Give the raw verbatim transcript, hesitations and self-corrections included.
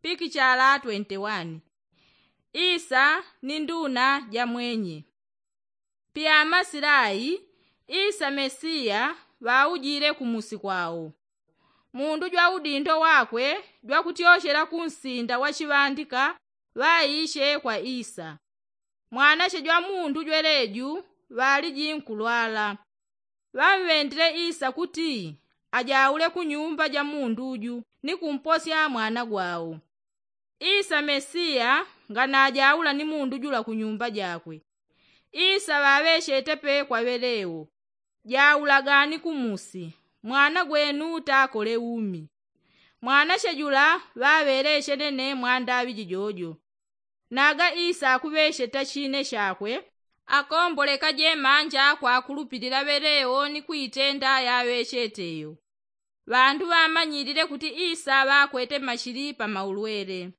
pikichala twenti wani. Isa ni nduna ja mwenye. Pyamasila ai, isa mesiya ŵaujile kumusi kwao. Mundu jwa udindo wakwe jwakutyochela kunsinda wachiŵandika ŵaishe kwa isa. Mwanache jwa mundu jweleju ŵaliji nkulwala. Ŵamŵendile isa kuti ajaule kunyumba ja mundu ju ni kumposya mwana gwao. Isa mesiya nganajaula ni mundu jula kunyumba jakwe. Isa ŵaŵechete pe kwa ŵelewo, jaulagani kumusi, mwana gwenu takole umi. Mwanache jula ŵaŵeleche nene mwandaŵi jijojo. Naga isa akuŵecheta chine chakwe, akombolekaje manja kwakulupilila ŵelewo ni kuitenda yaŵechete yo. Ŵandu ŵamanyilile kuti isa ŵakwete machili pa maulwele.